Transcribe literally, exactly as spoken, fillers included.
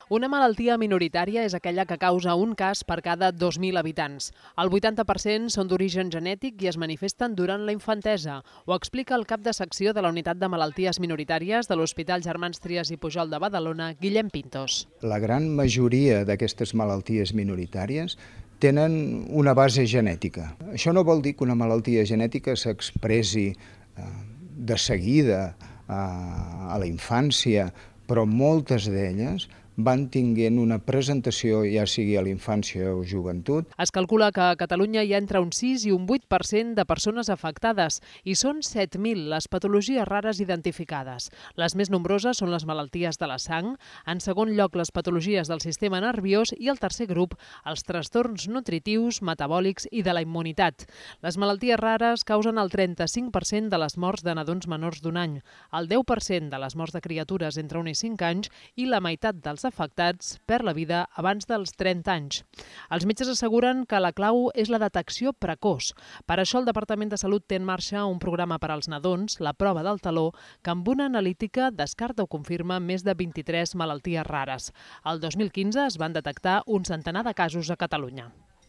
Una malaltia minoritària és aquella que causa un cas per cada dos mil habitants. El vuitanta per cent són d'origen genètic i es manifesten durant la infantesa. Ho explica el cap de secció de la Unitat de Malalties Minoritàries de l'Hospital Germans Trias i Pujol de Badalona, Guillem Pintos. La gran majoria d'aquestes malalties minoritàries tenen una base genètica. Això no vol dir que una malaltia genètica s'expressi de seguida a la infància, però moltes d'elles van tinguent una presentació, ja sigui a la infància o joventut. Es calcula que a Catalunya hi ha entre un sis i un vuit per cent de persones afectades i són set mil les patologies rares identificades. Les més nombroses són les malalties de la sang, en segon lloc les patologies del sistema nerviós i el tercer grup, els trastorns nutritius, metabòlics i de la immunitat. Les malalties rares causen el trenta-cinc per cent de les morts de nadons menors d'un any, el deu per cent de les morts de criatures entre un i cinc anys i la meitat dels afectats perd la vida abans dels trenta anys. Els metges asseguren que la clau és la detecció precoç. Per això el Departament de Salut té en marxa un programa per als nadons, la prova del taló, que amb una analítica descarta o confirma més de vint-i-tres malalties rares. El dos mil quinze es van detectar un centenar de casos a Catalunya.